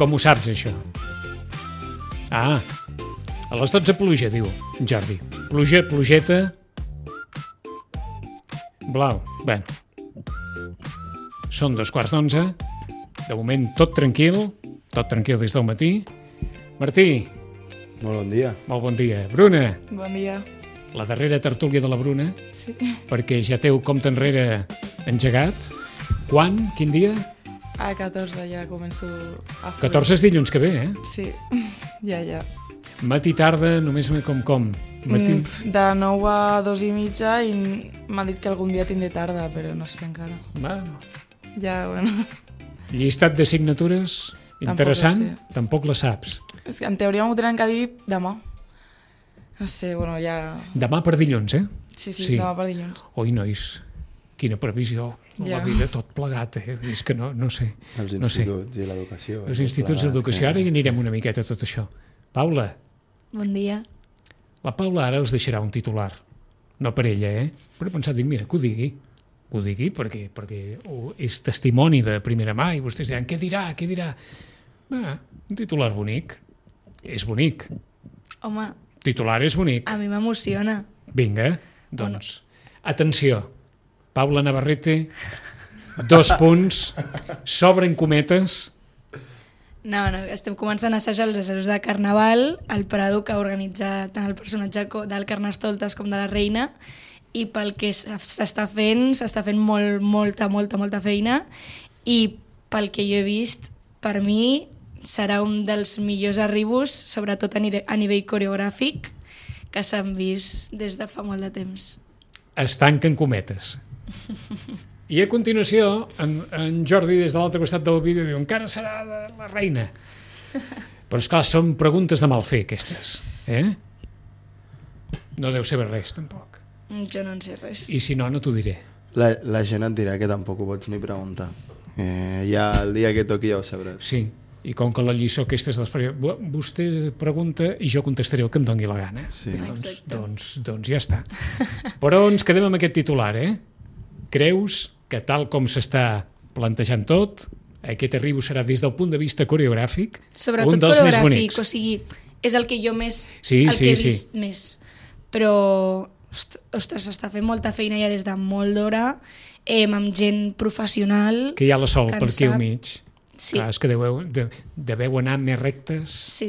com ho saps, això? Ah, a les 12 pluja, diu Jordi. Pluja, plugeta... Blau, bé. Són 2:15. De moment tot tranquil des del matí. Martí. Molt bon dia. Molt bon dia. Bruna. Bon dia. La darrera tertúlia de la Bruna. Sí. Perquè ja té un compte enrere engegat. Quan? Quin dia? A 14 ja començo a fer. 14 és dilluns que ve, eh? Sí, ja. Matí, tarda, només com? Matí... De 9 a 2:30 i m'ha dit que algun dia tindré tarda, però no sé encara. Bueno. Ja, bueno. Llistat de signatures interessant? Tampoc la saps. És que en teoria m'ho tenen que dir demà. No sé, bueno, ja... Demà per dilluns, eh? Sí, demà per dilluns. Oi, nois, quina previsió. La vida tot plegat, eh? És que no sé. Els instituts i l'educació. Els instituts d'educació, ara hi anirem una miqueta a tot això. Paula. Bon dia. La Paula ara els deixarà un titular. No per ella, eh? Però he pensat, mira, que ho digui. Que ho digui perquè és testimoni de primera mà i vostès diran, què dirà? Un titular bonic. És bonic. Home, Titular és bonic. a mi m'emociona. Vinga, doncs, atenció. Paula Navarrete, 2 punts, s'obren cometes. No, estem començant a assajar els assajos de Carnaval, el Prado, que ha organitzat tant el personatge del Carnestoltes com de la Reina, i pel que s'està fent molta feina, i pel que jo he vist, per mi serà un dels millors arribos, sobretot a nivell coreogràfic, que s'han vist des de fa molt de temps. Es tanquen cometes. I a continuació, en Jordi, des de l'altre costat del vídeo, diu, encara serà de la Reina. Però, esclar, són preguntes de mal fer, aquestes. No deu saber res, tampoc. Jo no en sé res. I si no, no t'ho diré. La gent et dirà que tampoc ho pots ni preguntar. Ja el dia que toqui ja ho sabràs. Sí, i com que la lliçó aquesta és vostè pregunta i jo contestaré el que em doni la gana. Sí. Doncs ja està. Però ens quedem amb aquest titular, eh? Creus que tal com s'està plantejant tot, aquest arribo serà des del punt de vista coreogràfic sobretot un dels més coreogràfic, bonics. o sigui, és el que jo més, Sí, el que he sí. vist més. Però, ostres, s'està fent molta feina ja des de molt d'hora, amb gent professional. Que hi ha la Sol que en per aquí al sap. mig. Sí. Clar, és que deveu anar més rectes. Sí.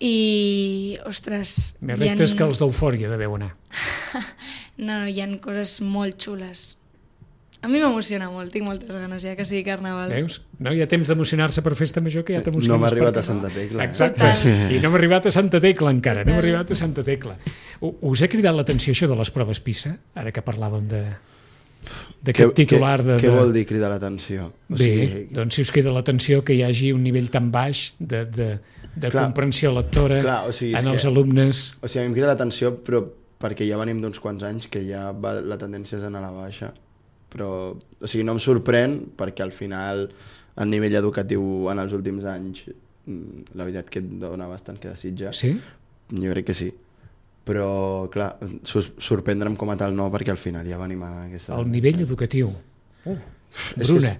I, ostres... Més rectes que els d'Eufòria deveu anar. No, hi ha coses molt xules. A mi m'emociona molt, tinc moltes ganes ja que sigui Carnaval. Veus? No hi ha temps d'emocionar-se per festa major que ja t'emociones. No m'ha arribat per a Santa Tecla. Exacte, i no m'ha arribat a Santa Tecla encara, no m'ha arribat a Santa Tecla. Us ha cridat l'atenció això de les proves PISA, ara que parlàvem d'aquest titular de... Què vol dir cridar l'atenció? Bé, doncs si us crida l'atenció que hi hagi un nivell tan baix de comprensió lectora en els alumnes... O sigui, a mi em crida l'atenció, però perquè ja venim d'uns quants anys que ja la tendència és anar a la baixa. Però, o sigui, no em sorprèn perquè al final el nivell educatiu en els últims anys la veritat que et dona bastant que desitjar. Sí? Jo crec que sí. Però, clar, sorprendre'm com a tal no, perquè al final ja venim a aquesta... El nivell educatiu. Bruna,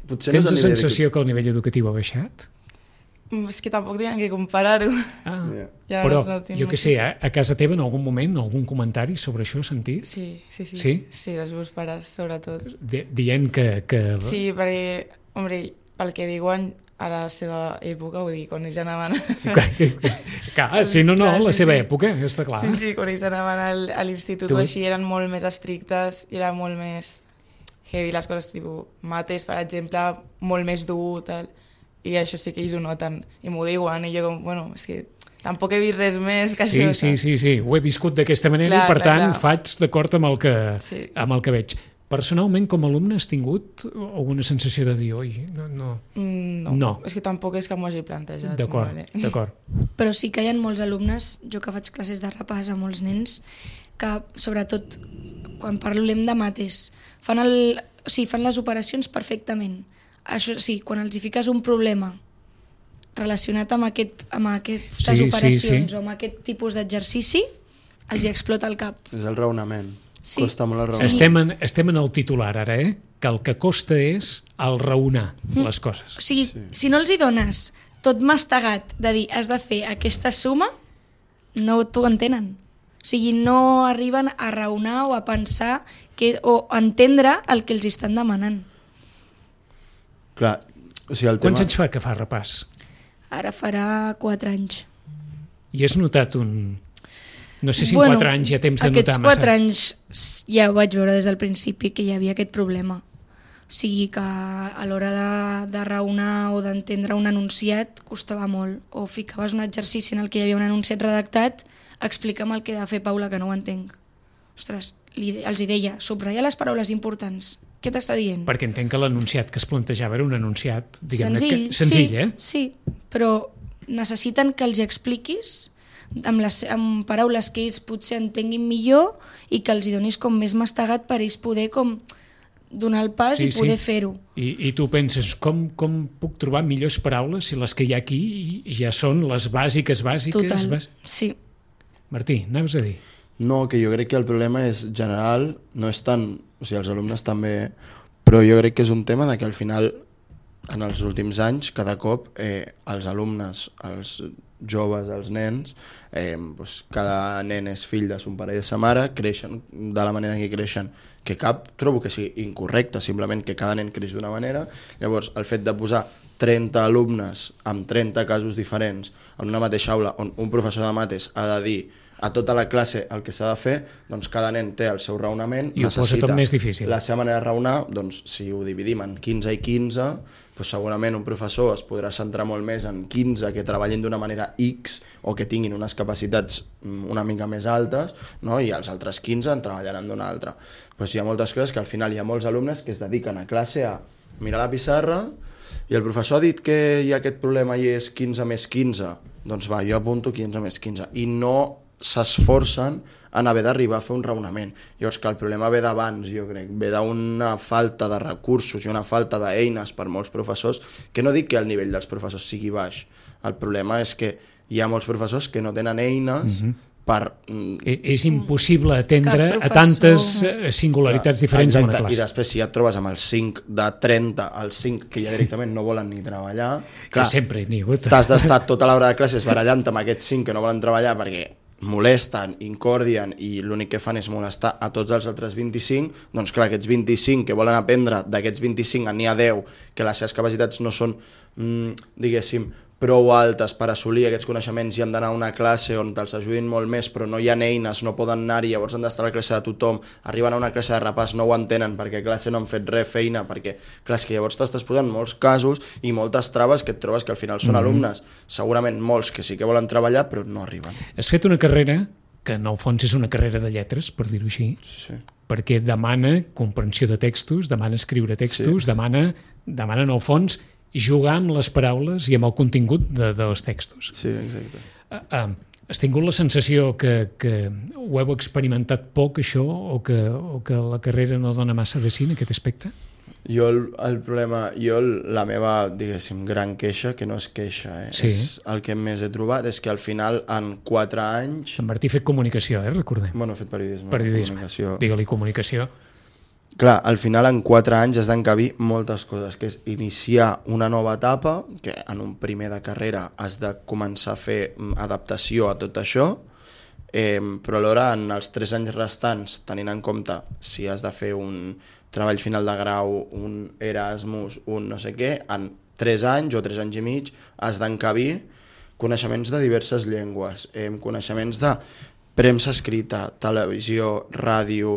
tens la sensació que el nivell educatiu ha baixat? És que tampoc tenen que comparar-ho. Però, jo què sé, a casa teva en algun moment, algun comentari sobre això has sentit? Sí? Sí, dels meus pares, sobretot. Dient que... Sí, perquè, hombre, pel que diuen a la seva època, vull dir, quan ells anaven... Clar, si no, la seva època, està clar. Sí, quan ells anaven a l'institut o així eren molt més estrictes, i era molt més heavy les coses, tipus mates, per exemple, molt més dur, tal... I això sí que ells ho noten i m'ho diuen i jo com, bueno, és que tampoc he vist res més que això. Sí, ho he viscut d'aquesta manera i per tant faig d'acord amb el que veig. Personalment, com a alumne, has tingut alguna sensació de dir, oi, no. És que tampoc és que m'ho hagi plantejat. D'acord. Però sí que hi ha molts alumnes, jo que faig classes de repàs a molts nens, que sobretot quan parlem de mates fan les operacions perfectament. Això sí, quan els hi fiques un problema relacionat amb aquestes operacions o amb aquest tipus d'exercici, els hi explota el cap. És el raonament. Costa molt el raonament. Estem en el titular ara, que el que costa és el raonar les coses. O sigui, si no els hi dones tot mastegat de dir has de fer aquesta suma, no t'ho entenen. O sigui, no arriben a raonar o a pensar o a entendre el que els estan demanant. Clar, o sigui, el Quants tema... anys fa que fa repàs? Ara farà 4 anys. I has notat un... No sé si en 4 anys hi ha temps de notar massa. Aquests 4 anys ja ho vaig veure des del principi que hi havia aquest problema. O sigui que a l'hora de raonar o d'entendre un enunciat costava molt. O ficaves un exercici en el que hi havia un enunciat redactat, explica'm el que he de fer, Paula, que no ho entenc. Ostres, els hi deia, subratlla les paraules importants. Què t'està dient? Perquè entenc que l'enunciat que es plantejava era un enunciat, diguem-ne, senzill, senzill, sí, però necessiten que els expliquis amb paraules que ells potser entenguin millor i que els hi donis com més mastegat per ells poder com donar el pas i poder fer-ho. I tu penses, com puc trobar millors paraules si les que hi ha aquí ja són les bàsiques? Total, sí. Martí, anaves a dir? No, que jo crec que el problema és general, no és tant... O sigui, els alumnes també... Però jo crec que és un tema de que al final, en els últims anys, cada cop els alumnes, els joves, els nens, cada nen és fill de son pare i de sa mare, creixen de la manera que creixen, que trobo que sigui incorrecte, simplement que cada nen creix d'una manera. Llavors, el fet de posar 30 alumnes amb 30 casos diferents en una mateixa aula on un professor de mates ha de dir a tota la classe el que s'ha de fer, doncs cada nen té el seu raonament, i ho posa tot més difícil. La seva manera de raonar, doncs si ho dividim en 15 i 15, doncs segurament un professor es podrà centrar molt més en 15 que treballin d'una manera X o que tinguin unes capacitats una mica més altes, no? I els altres 15 en treballaran d'una altra. Doncs hi ha moltes coses que al final hi ha molts alumnes que es dediquen a classe a mirar la pissarra i el professor ha dit que hi ha aquest problema i és 15 més 15, doncs va, jo apunto 15 més 15 i no s'esforcen en haver d'arribar a fer un raonament. Llavors que el problema ve d'abans, jo crec, ve d'una falta de recursos i una falta d'eines per molts professors, que no dic que el nivell dels professors sigui baix, el problema és que hi ha molts professors que no tenen eines per... És impossible atendre a tantes singularitats diferents en una classe. I després si ja et trobes amb els 5 de 30, els 5 que ja directament no volen ni treballar, clar, sempre n'hi ha hagut. T'has d'estar tota l'hora de classes barallant amb aquests 5 que no volen treballar perquè molesten, incordien i l'únic que fan és molestar a tots els altres 25, doncs clar, aquests 25 que volen aprendre, d'aquests 25 n'hi ha 10 que les seves capacitats no són, diguéssim, prou altes per assolir aquests coneixements i han d'anar a una classe on te'ls ajudin molt més, però no hi ha eines, no poden anar-hi, llavors han d'estar a la classe de tothom, arriben a una classe de repàs, no ho entenen perquè a classe no han fet res feina, perquè clar, és que llavors t'estàs posant molts casos i moltes traves que et trobes que al final són alumnes, segurament molts que sí que volen treballar però no arriben. Has fet una carrera que en el fons és una carrera de lletres, per dir-ho així, perquè demana comprensió de textos, demana escriure textos, demana en el fons jugar amb les paraules i amb el contingut dels textos. Sí, exacte. Has tingut la sensació que ho heu experimentat poc, això, o que la carrera no dona massa de sí en aquest aspecte? Jo la meva, diguéssim, gran queixa, que no és queixa, és el que més he trobat, és que al final, en 4 anys... En Martí ha fet comunicació, recordem. Bueno, he fet periodisme. Periodisme, digue-li comunicació. Clar, al final en 4 anys has d'encabir moltes coses, que és iniciar una nova etapa, que en un primer de carrera has de començar a fer adaptació a tot això, però alhora en els 3 anys restants, tenint en compte si has de fer un treball final de grau, un Erasmus, un no sé què, en 3 anys o 3 anys i mig has d'encabir coneixements de diverses llengües, coneixements de premsa escrita, televisió, ràdio,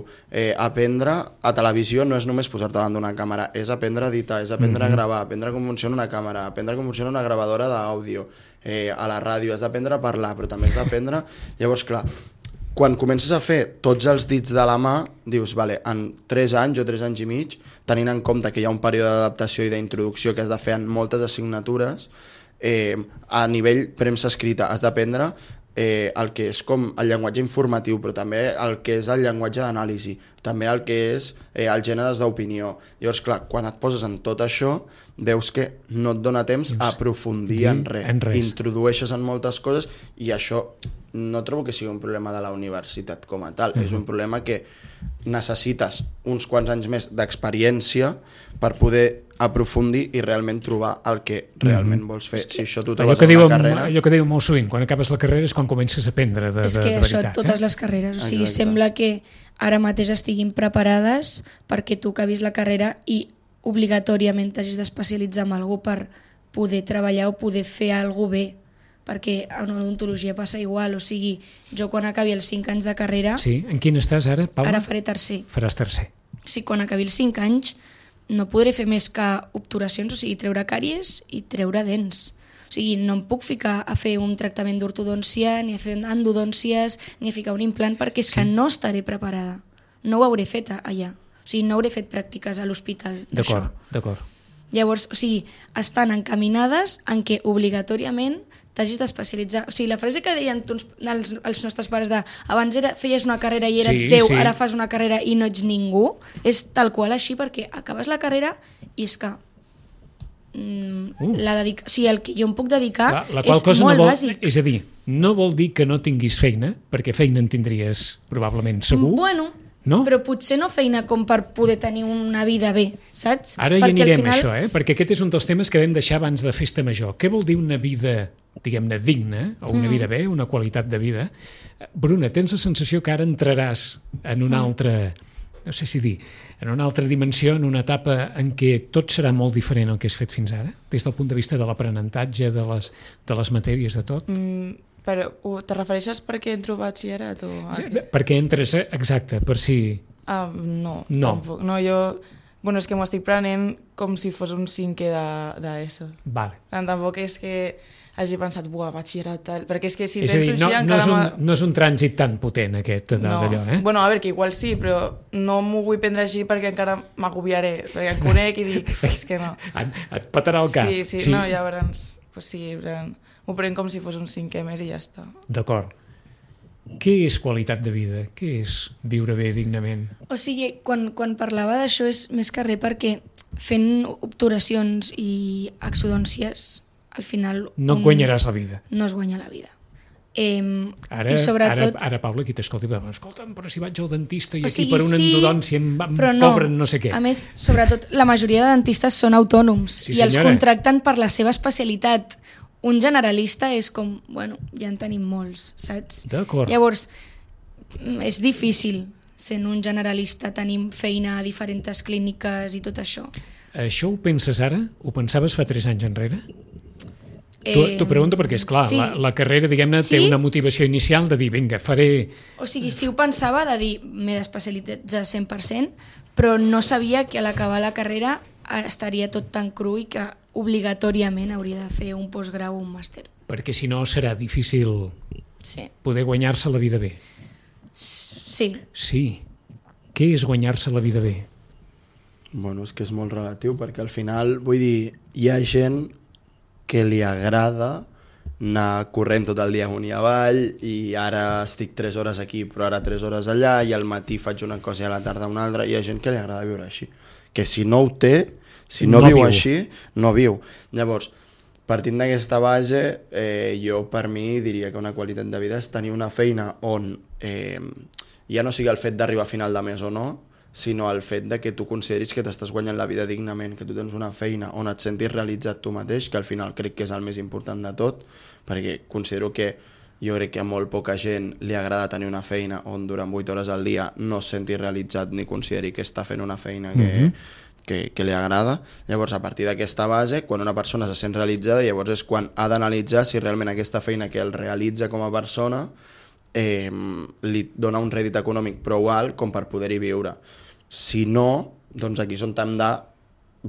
aprendre a televisió no és només posar-te davant d'una càmera, és aprendre a editar, és aprendre a gravar, aprendre com funciona una càmera, aprendre com funciona una gravadora d'àudio, a la ràdio has d'aprendre a parlar, però també has d'aprendre... Llavors, clar, quan comences a fer tots els dits de la mà, dius, vale, en 3 anys o 3 anys i mig, tenint en compte que hi ha un període d'adaptació i d'introducció que has de fer en moltes assignatures, a nivell premsa escrita has d'aprendre el que és com el llenguatge informatiu, però també el que és el llenguatge d'anàlisi, també el que és els gèneres d'opinió. Llavors, clar, quan et poses en tot això, veus que no et dona temps a aprofundir en res. Introdueixes en moltes coses i això no trobo que sigui un problema de la universitat com a tal, és un problema que necessites uns quants anys més d'experiència per poder aprofundir i realment trobar el que realment vols fer. Si això t'ho trobes en una carrera... Allò que diu molt sovint, quan acabes la carrera és quan comences a aprendre de És que això veritat. totes les carreres, o sigui, Exacte. sembla que ara mateix estiguin preparades perquè tu acabis la carrera i obligatòriament t'hagis d'especialitzar en algú per poder treballar o poder fer alguna bé, perquè en odontologia passa igual, o sigui, jo quan acabi els 5 anys de carrera, Sí, en quin estàs ara, Paula? ara faré tercer. Faràs tercer. O sigui, quan acabi els 5 anys no podré fer més que obturacions, o sigui, treure càries i treure dents. O sigui, no em puc ficar a fer un tractament d'ortodòncia, ni a fer endodòncies, ni a ficar un implant, perquè és que no estaré preparada. No ho hauré fet allà. O sigui, no hauré fet pràctiques a l'hospital d'això. D'acord. Llavors, o sigui, estan encaminades en què obligatòriament t'hagis d'especialitzar. O sigui, la frase que deien els nostres pares de abans feies una carrera i eres Déu, ara fas una carrera i no ets ningú, és tal qual així, perquè acabes la carrera i és que o sigui, el que jo em puc dedicar La qual és cosa molt no vol, bàsic. és a dir, no vol dir que no tinguis feina, perquè feina en tindries probablement segur. Bueno, no? però potser no feina com per poder tenir una vida bé, saps? Ara perquè hi anirem al final... a això, perquè aquest és un dels temes que vam deixar abans de Festa Major. Què vol dir una vida, diguem-ne, digna, o una vida bé, una qualitat de vida? Bruna, tens la sensació que ara entraràs en una altra, no sé si dir, en una altra dimensió, en una etapa en què tot serà molt diferent del que has fet fins ara, des del punt de vista de l'aprenentatge, de les matèries, de tot? Però te refereixes perquè entro a batxillerat o... Perquè entres, exacte, per si... No, No. tampoc. No, jo... Bueno, és que m'ho estic prenent com si fos un cinquè d'ESO. Vale. Tampoc és que hagi pensat, buah, batxillerat, tal... Perquè és que si És a dir, penso així no és un trànsit tan potent aquest d'allò, eh? Bueno, a veure, que igual sí, però no m'ho vull prendre així perquè encara m'agobiaré, perquè em conec i dic, és que no. Et patarà el cap. Sí, no, llavors, pues sí, m'ho prenc com si fos un cinquè més i ja està. D'acord. Què és qualitat de vida? Què és viure bé dignament? O sigui, quan parlava d'això és més que res perquè fent obturacions i exodòncies, al final... No guanyaràs la vida. No es guanya la vida. Ara, I sobretot... ara Paula, aquí t'escolta, escolta'm, però si vaig al dentista i o aquí sigui, per una endodòncia em cobren no sé què. A més, sobretot, la majoria de dentistes són autònoms Sí, i els senyora. contracten per la seva especialitat. Un generalista és com, bueno, ja en tenim molts, saps? D'acord. Llavors, és difícil, sent un generalista, tenim feina a diferents clíniques i tot això. Això ho penses ara? Ho pensaves fa 3 anys enrere? T'ho pregunto perquè, esclar, sí. la carrera, diguem-ne, té una motivació inicial de dir, vinga, faré... O sigui, sí ho pensava de dir, m'he d'especialitzar 100%, però no sabia que a l'acabar la carrera estaria tot tan cru i que obligatòriament hauria de fer un postgrau o un màster. Perquè si no serà difícil Sí. poder guanyar-se la vida bé. Sí. Sí. Què és guanyar-se la vida bé? Bueno, és que és molt relatiu, perquè al final, vull dir, hi ha gent que li agrada anar corrent tot el dia amunt i avall i ara estic 3 hores aquí però ara 3 hores allà i al matí faig una cosa i a la tarda una altra. Hi ha gent que li agrada viure així, que si no ho té, si no viu així, no viu. Llavors, partint d'aquesta base, jo per mi diria que una qualitat de vida és tenir una feina on ja no sigui el fet d'arribar a final de mes o no, sinó el fet de que tu consideris que t'estàs guanyant la vida dignament, que tu tens una feina on et sentis realitzat tu mateix, que al final crec que és el més important de tot, perquè considero que jo crec que a molt poca gent li agrada tenir una feina on durant 8 hores al dia no es senti realitzat ni consideri que està fent una feina que li agrada. Llavors, a partir d'aquesta base, quan una persona se sent realitzada, llavors és quan ha d'analitzar si realment aquesta feina que el realitza com a persona li dona un rèdit econòmic prou alt com per poder-hi viure. Si no, doncs aquí és on hem de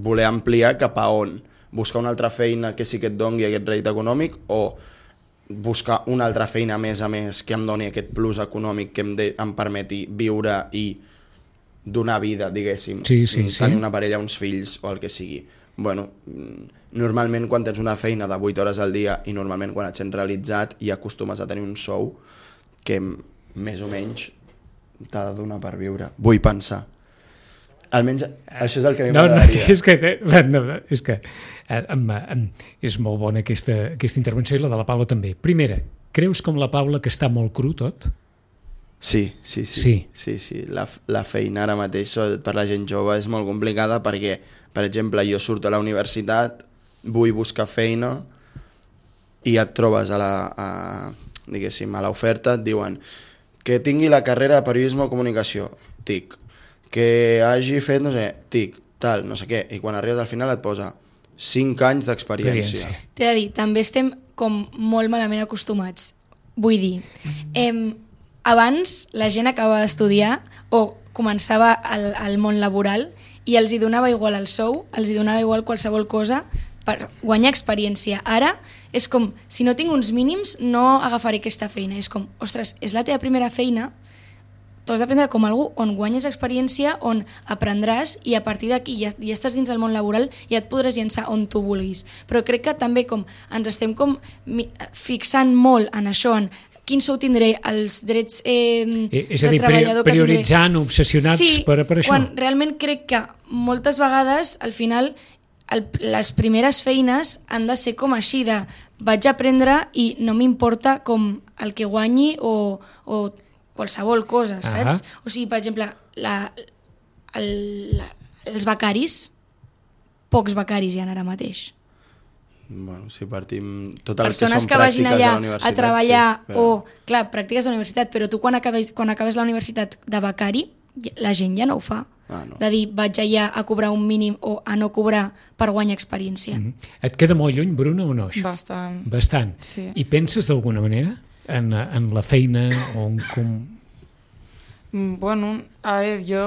voler ampliar cap a on? Buscar una altra feina que sí que et doni aquest rèdit econòmic o buscar una altra feina a més que em doni aquest plus econòmic que em permeti viure i donar vida, diguéssim, tenir una parella, uns fills o el que sigui. Bueno, normalment quan tens una feina de 8 hores al dia i normalment quan et sents realitzat i acostumes a tenir un sou que més o menys t'ha de donar per viure. Vull pensar. Almenys això és el que a mi m'agradaria. És que és molt bona aquesta intervenció i la de la Paula també. Primera, creus com la Paula que està molt cru tot? Sí. La feina ara mateix per la gent jove és molt complicada perquè, per exemple, jo surto a la universitat, vull buscar feina i et trobes diguéssim, a l'oferta, et diuen que tingui la carrera de periodisme o comunicació, tic, que hagi fet, no sé, tic, tal, no sé què, i quan arribes al final et posa 5 anys d'experiència. T'he de dir, també estem com molt malament acostumats. Vull dir, abans la gent acabava d'estudiar o començava al món laboral i els hi donava igual el sou, els hi donava igual qualsevol cosa per guanyar experiència. Ara és com, si no tinc uns mínims no agafaré aquesta feina. És com, ostres, és la teva primera feina, tu has d'aprendre com algú on guanyes experiència, on aprendràs i a partir d'aquí ja estàs dins del món laboral i et podràs llançar on tu vulguis. Però crec que també com ens estem com fixant molt en això, en quin sou tindré, els drets és a dir, prioritzant, obsessionats per això. Quan realment crec que moltes vegades al final les primeres feines han de ser com així de vaig aprendre i no m'importa com el que guanyi o qualsevol cosa, saps? O sigui, per exemple, els becaris, pocs becaris hi ha ara mateix. Bueno, si partim tot el persones que són pràctiques vagin allà a la universitat, a treballar però... clar, pràctiques a la universitat, però tu quan acabes la universitat de becari, la gent ja no ho fa. No. De dir, vaig allà a cobrar un mínim o a no cobrar per guanyar experiència. Et queda molt lluny, Bruna, o no? Bastant. Sí. I penses d'alguna manera en la feina o en Bueno, a veure,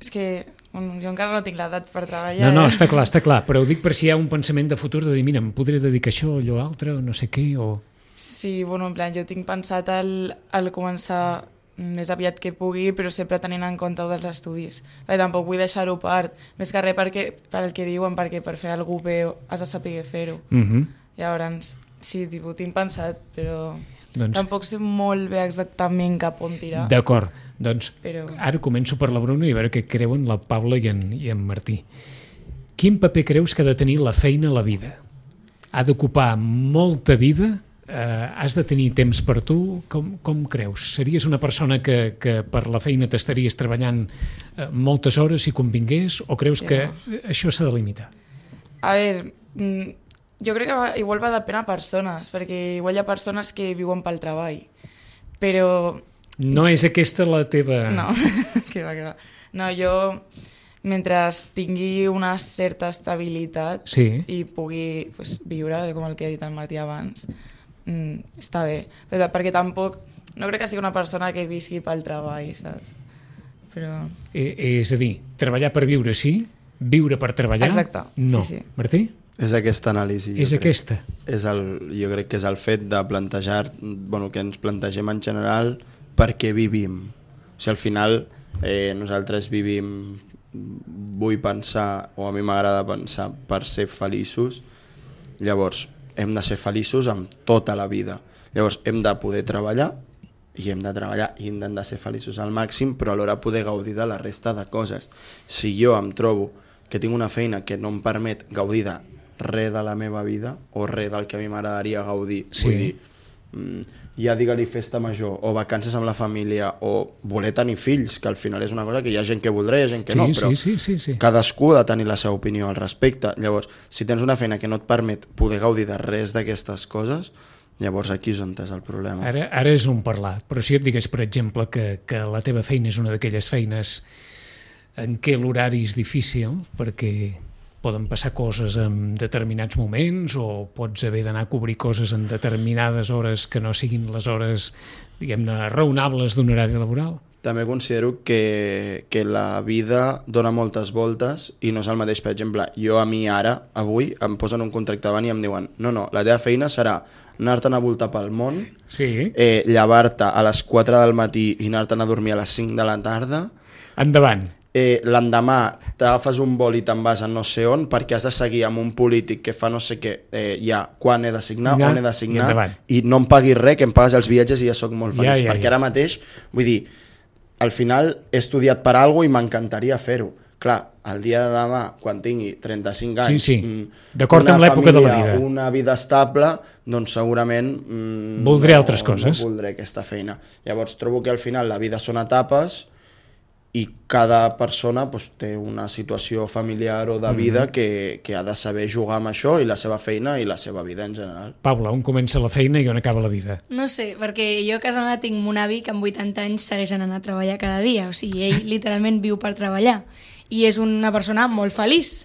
és que jo encara no tinc l'edat per treballar. No, està clar, però ho dic per si hi ha un pensament de futur de dir, mira, em podré dedicar a això o allò altre o no sé què, o... Sí, bueno, en plan, jo tinc pensat al començar més aviat que pugui, però sempre tenint en compte dels estudis. Perquè tampoc vull deixar-ho part, més que res per el que diuen, perquè per fer alguna cosa bé has de saber fer-ho. Llavors, sí, tinc pensat, però tampoc sé molt bé exactament cap on tirar. D'acord, doncs ara començo per la Bruna i a veure què creuen la Paula i en Martí. Quin paper creus que ha de tenir la feina a la vida? Ha d'ocupar molta vida? Has de tenir temps per tu? Com creus? Series una persona que per la feina t'estaries treballant moltes hores si convingués o creus que això s'ha de limitar? A veure, jo crec que igual va depèn a persones, perquè igual hi ha persones que viuen pel treball, però... No és aquesta la teva... No, que va. No, jo, mentre tingui una certa estabilitat i pugui viure, com el que ha dit el Martí abans, està bé. Perquè tampoc... No crec que sigui una persona que visqui pel treball, saps? Però... És a dir, treballar per viure, sí? Viure per treballar? Exacte, no. Sí. Martí? És aquesta anàlisi. Aquesta? Jo crec que és el fet de plantejar, que ens plantegem en general per què vivim. O sigui, al final nosaltres vivim, vull pensar, o a mi m'agrada pensar, per ser feliços. Llavors, hem de ser feliços amb tota la vida. Llavors, hem de poder treballar i hem de ser feliços al màxim, però alhora poder gaudir de la resta de coses. Si jo em trobo que tinc una feina que no em permet gaudir de res de la meva vida o res del que a mi m'agradaria gaudir, vull dir, ja digue-li festa major o vacances amb la família o voler tenir fills, que al final és una cosa que hi ha gent que voldrà i hi ha gent que no, però cadascú ha de tenir la seva opinió al respecte. Llavors, si tens una feina que no et permet poder gaudir de res d'aquestes coses, llavors aquí és on és el problema. Ara és un parlar, però si et digués, per exemple, que la teva feina és una d'aquelles feines en què l'horari és difícil, perquè poden passar coses en determinats moments o pots haver d'anar a cobrir coses en determinades hores que no siguin les hores, diguem-ne, raonables d'un horari laboral. També considero que la vida dona moltes voltes i no és el mateix. Per exemple, jo a mi ara, avui, em posen un contracte davant i em diuen no, la teva feina serà anar-te'n a voltar pel món, llevar-te a les 4 del matí i anar-te'n a dormir a les 5 de la tarda. Endavant. L'endemà t'agafes un vol i te'n vas a no sé on perquè has de seguir amb un polític que fa no sé què, quan he de signar, on he de signar, i no em paguis res, que em pagues els viatges i ja soc molt feliç, perquè ara mateix, vull dir, al final he estudiat per alguna cosa i m'encantaria fer-ho. Clar, el dia de demà, quan tingui 35 anys, d'acord amb l'època de la vida, una vida estable, doncs segurament voldré altres coses. No voldré aquesta feina. Llavors trobo que al final la vida són etapes i cada persona té una situació familiar o de vida que ha de saber jugar amb això i la seva feina i la seva vida en general. Paula, on comença la feina i on acaba la vida? No sé, perquè jo a casa meva tinc un avi que amb 80 anys segueix anant a treballar cada dia, o sigui, ell literalment viu per treballar i és una persona molt feliç.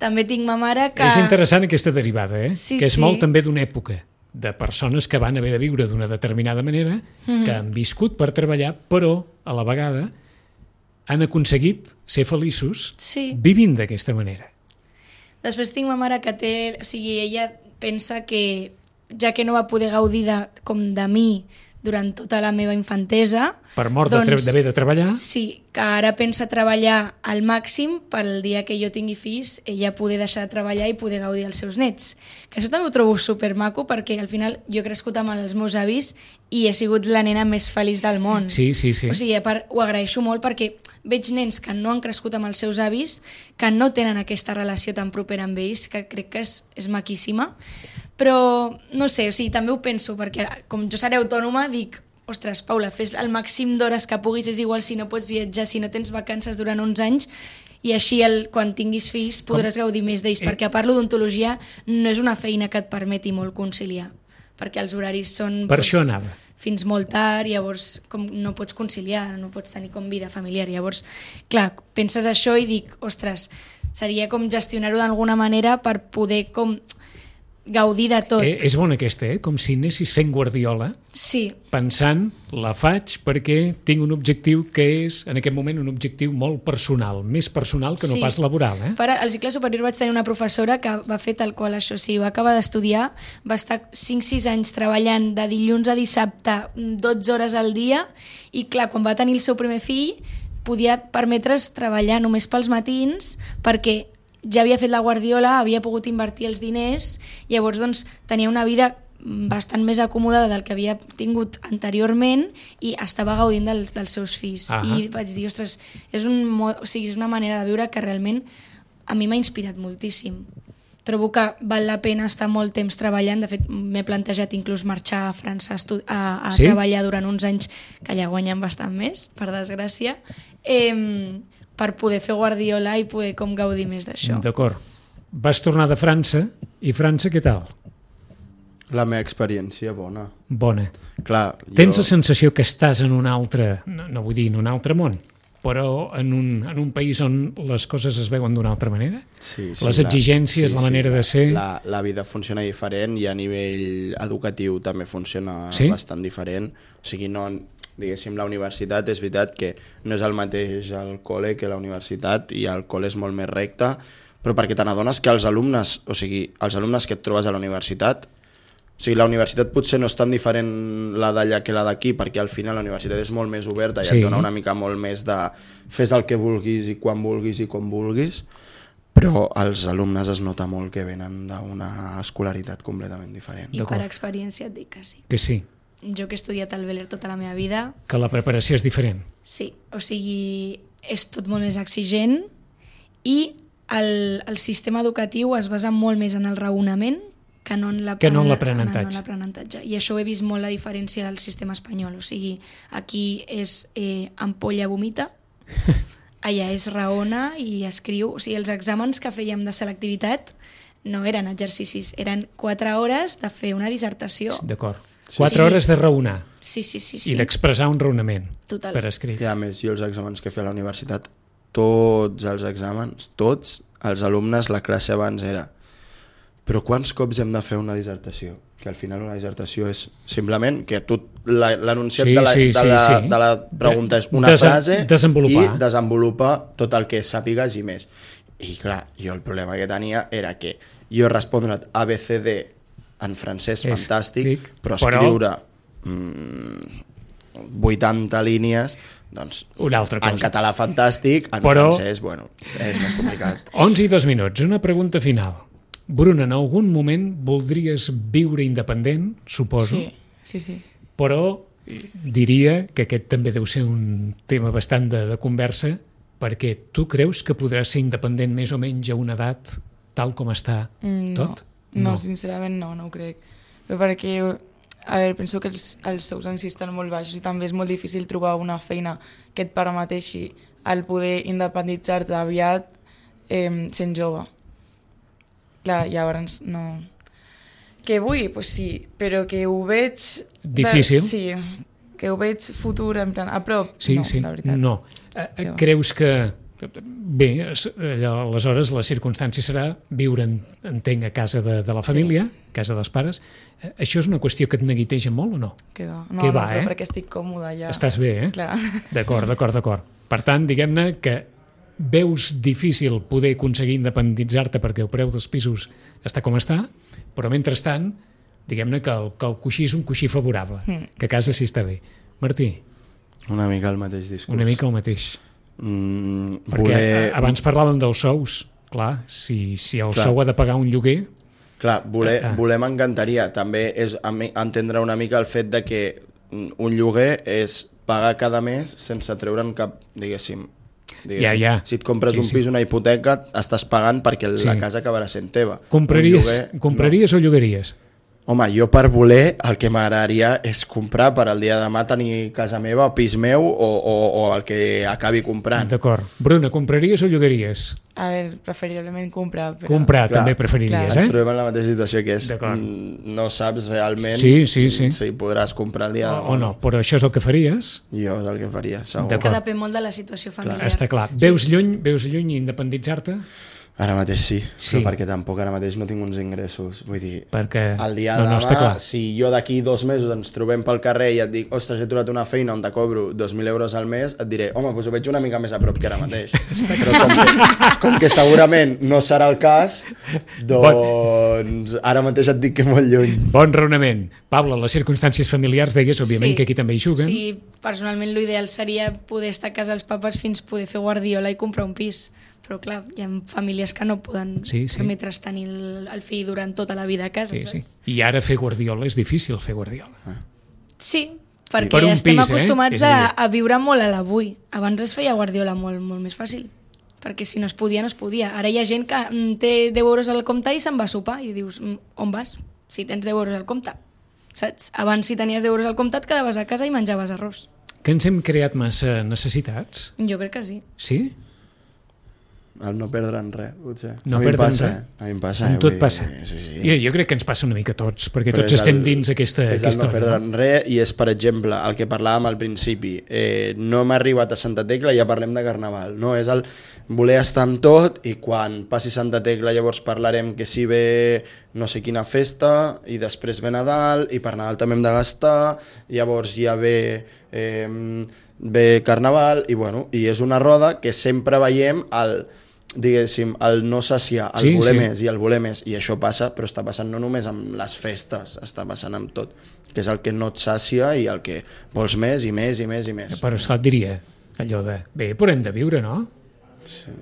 També tinc ma mare que... És interessant aquesta derivada, Sí, que és sí. molt també d'una època de persones que van haver de viure d'una determinada manera, que han viscut per treballar, però a la vegada han aconseguit ser feliços vivint d'aquesta manera. Després tinc ma mare que té... O sigui, ella pensa que, ja que no va poder gaudir com de mi durant tota la meva infantesa... Per mort d'haver de treballar? Sí, que ara pensa treballar al màxim pel dia que jo tingui fills, ella poder deixar de treballar i poder gaudir dels seus nets. Que això també ho trobo supermaco perquè al final jo he crescut amb els meus avis i he sigut la nena més feliç del món. Sí. O sigui, a part, ho agraeixo molt perquè veig nens que no han crescut amb els seus avis, que no tenen aquesta relació tan propera amb ells, que crec que és maquíssima. Però, no sé, o sigui, també ho penso, perquè com jo seré autònoma, dic, ostres, Paula, fes el màxim d'hores que puguis, és igual si no pots viatjar, si no tens vacances durant uns anys, i així quan tinguis fills podràs gaudir més d'ells, perquè a part l'odontologia no és una feina que et permeti molt conciliar, perquè els horaris són per això anava. Fins molt tard, llavors com no pots conciliar, no pots tenir com vida familiar, llavors, clar, penses això i dic, ostres, seria com gestionar-ho d'alguna manera per poder com gaudir de tot. És bona aquesta, com si anessis fent Guardiola, pensant, la faig perquè tinc un objectiu que és, en aquest moment, un objectiu molt personal, més personal que no pas laboral. Al cicle superior vaig tenir una professora que va fer tal qual això, va acabar d'estudiar, va estar 5-6 anys treballant de dilluns a dissabte 12 hores al dia i clar, quan va tenir el seu primer fill podia permetre's treballar només pels matins perquè ja havia fet la guardiola, havia pogut invertir els diners, llavors doncs, tenia una vida bastant més acomodada del que havia tingut anteriorment i estava gaudint dels seus fills. I vaig dir, ostres, és una manera de viure que realment a mi m'ha inspirat moltíssim. Trobo que val la pena estar molt temps treballant, de fet m'he plantejat inclús marxar a França a treballar durant uns anys, que allà guanyen bastant més, per desgràcia, per poder fer guardiola i poder com gaudir més d'això. D'acord. Vas tornar de França, i França què tal? La meva experiència bona. Bona. Clar, tens la sensació que estàs en un altre, no vull dir en un altre món, però en un país on les coses es veuen d'una altra manera? Sí, les exigències, la manera de ser... La vida funciona diferent i a nivell educatiu també funciona bastant diferent. O sigui, no... Diguéssim, la universitat és veritat que no és el mateix al col·le que la universitat i el col·le és molt més recte, però perquè te n'adones que els alumnes, o sigui, els alumnes que et trobes a la universitat, o sigui, la universitat potser no és tan diferent la d'allà que la d'aquí, perquè al final la universitat és molt més oberta i et dona una mica molt més de fes el que vulguis i quan vulguis i com vulguis, però els alumnes es nota molt que venen d'una escolaritat completament diferent. I per experiència et dic que sí. Que sí. Jo que he estudiat al Beler tota la meva vida... Que la preparació és diferent. Sí, o sigui, és tot molt més exigent i el sistema educatiu es basa molt més en el raonament que no en l'aprenentatge. I això ho he vist molt la diferència del sistema espanyol. O sigui, aquí és ampolla vomita, allà és raona i escriu. O sigui, els exàmens que fèiem de selectivitat no eren exercicis, eren 4 hores de fer una dissertació. D'acord. 4 hores de raonar. Sí. I d'expressar un raonament. Total. Per escrit. I a més, jo els exàmens que feia a la universitat, tots els exàmens, tots els alumnes, la classe abans era però quants cops hem de fer una dissertació? Que al final una dissertació és simplement que tu l'anunciat de la pregunta és una frase i desenvolupa tot el que sàpigues i més. I clar, jo el problema que tenia era que jo respondre ABCD en francès fantàstic, però escriure 80 línies, doncs en català fantàstic, en francès, bueno, és més complicat. 11 i 2 minuts, una pregunta final. Bruna, en algun moment voldries viure independent, suposo? Sí. Però diria que aquest també deu ser un tema bastant de conversa, perquè tu creus que podràs ser independent més o menys a una edat tal com està tot? No, sincerament no ho crec. Però perquè, a veure, penso que els sous en si estan molt baixos i també és molt difícil trobar una feina que et permeteixi el poder independitzar-te aviat sent jove. Clar, llavors no... Que vull? Pues sí, però que ho veig... Difícil? Sí, que ho veig futur, en plan, a prop, sí, no, sí. la veritat. No. Creus que... Bé, aleshores la circumstància serà viure, entenc, a casa de la família, a casa dels pares. Això és una qüestió que et neguiteja molt o no? Que va. Que va, però perquè estic còmoda ja. Estàs bé, eh? Clar. D'acord. Per tant, diguem-ne que veus difícil poder aconseguir independitzar-te perquè el preu dels pisos està com està, però mentrestant, diguem-ne que el coixí és un coixí favorable, que a casa sí està bé. Martí? Una mica el mateix discurs. Una mica el mateix. Perquè abans parlàvem dels sous. Clar, si el sou ha de pagar un lloguer... Clar, voler m'encantaria. També és entendre una mica el fet de que un lloguer és pagar cada mes sense treure'n cap, diguéssim. Ja. Si et compres un pis, una hipoteca, estàs pagant perquè la casa acabarà sent teva. Compraries o llogaries? Home, jo per voler el que m'agradaria és comprar per al dia de demà tenir casa meva, pis meu o el que acabi comprant. D'acord. Bruna, compraries o llogaries? A veure, preferiblement comprar. Però... Comprar també preferiries, Ens trobem en la mateixa situació que és no saps realment si podràs comprar el dia de demà. O no, però això és el que faries? Jo és el que faria, segur. Que depèn molt de la situació familiar. Està clar. Veus lluny independitzar-te? Ara mateix sí, però perquè tampoc ara mateix no tinc uns ingressos. Vull dir, perquè... el dia de demà, si jo d'aquí 2 mesos ens trobem pel carrer i et dic, ostres, he trobat una feina on te cobro 2.000 euros al mes, et diré, home, doncs ho veig una mica més a prop que ara mateix. Però com que segurament no serà el cas, doncs ara mateix et dic que molt lluny. Bon raonament. Paula, les circumstàncies familiars deies, òbviament, que aquí també hi juguen. Sí, personalment l'ideal seria poder estar a casa dels papes fins poder fer guardiola i comprar un pis. Però clar, hi ha famílies que no poden permetre's tenir el fill durant tota la vida a casa. Saps? I ara fer guardiola és difícil, fer guardiola. Sí, perquè estem acostumats a viure molt a l'avui. Abans es feia guardiola molt, molt més fàcil, perquè si no es podia, no es podia. Ara hi ha gent que té 10 euros al compte i se'n va a sopar i dius, on vas? Si tens 10 euros al compte. Saps? Abans, si tenies 10 euros al compte, et quedaves a casa i menjaves arròs. Que ens hem creat massa necessitats? Jo crec que sí. Sí? El no perdre'n res, potser. No perdre'n res? A mi em passa. Amb tot passa. Sí. Jo crec que ens passa una mica a tots, perquè tots estem dins aquesta hora. És el no perdre'n res i és, per exemple, el que parlàvem al principi. No hem arribat a Santa Tecla i ja parlem de Carnaval. No? És el voler estar amb tot i quan passi Santa Tecla llavors parlarem que si ve no sé quina festa i després ve Nadal i per Nadal també hem de gastar, llavors ja ve Carnaval i és una roda que sempre veiem diguéssim, el no saciar, el voler més i el voler més, i això passa, però està passant no només amb les festes, està passant amb tot, que és el que no et sàcia i el que vols més i més i més i més. Però esclar, et diria allò de, bé, però hem de viure, no? Sí.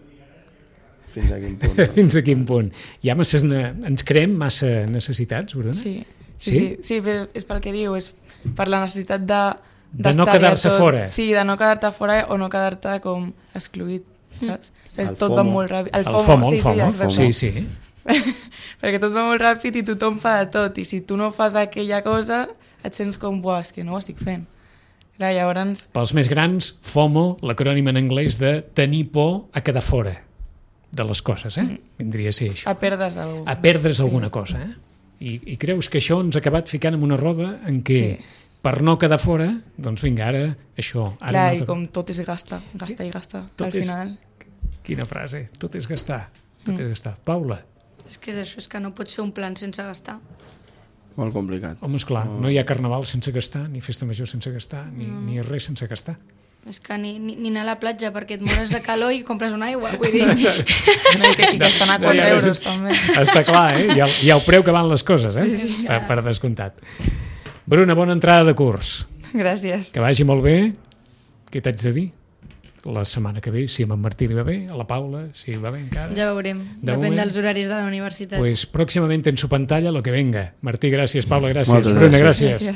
Fins a quin punt? Fins a quin punt? Ens creem massa necessitats, Bruna? Sí, és pel que diu, és per la necessitat de no quedar-se fora. Sí, de no quedar-te fora o no quedar-te com excluït, saps? Tot va molt ràpid. El FOMO. Sí. Perquè tot va molt ràpid i tothom fa de tot, i si tu no fas aquella cosa et sents com, buah, és que no ho estic fent. Clar, llavors... Pels més grans, FOMO, l'acrònim en anglès de tenir por a quedar fora de les coses, vindria a ser això. A perdre's alguna cosa. A perdre's alguna cosa, I creus que això ens ha acabat ficant en una roda en què per no quedar fora, doncs vinga, ara això... Clar, i com tot és gastar i gastar, al final... Quina frase, tot és gastar, tot és gastar. Paula? És que és això, és que no pots fer un plan sense gastar. Molt complicat. Home, esclar, no hi ha carnaval sense gastar, ni festa major sense gastar, ni res sense gastar. És que ni anar a la platja perquè et mores de calor i compres una aigua, vull dir... I que estan a 4 euros, també. Està clar, hi ha el preu que van les coses, Sí. Per descomptat. Bruna, bona entrada de curs. Gràcies. Que vagi molt bé. Què t'haig de dir? La setmana que ve, si a en Martí li va bé, a la Paula, si va bé encara. Ja veurem, depèn dels horaris de la universitat. Pues pròximament en su pantalla lo que venga. Martí, gràcies, Paula, gràcies. Bruna, gràcies.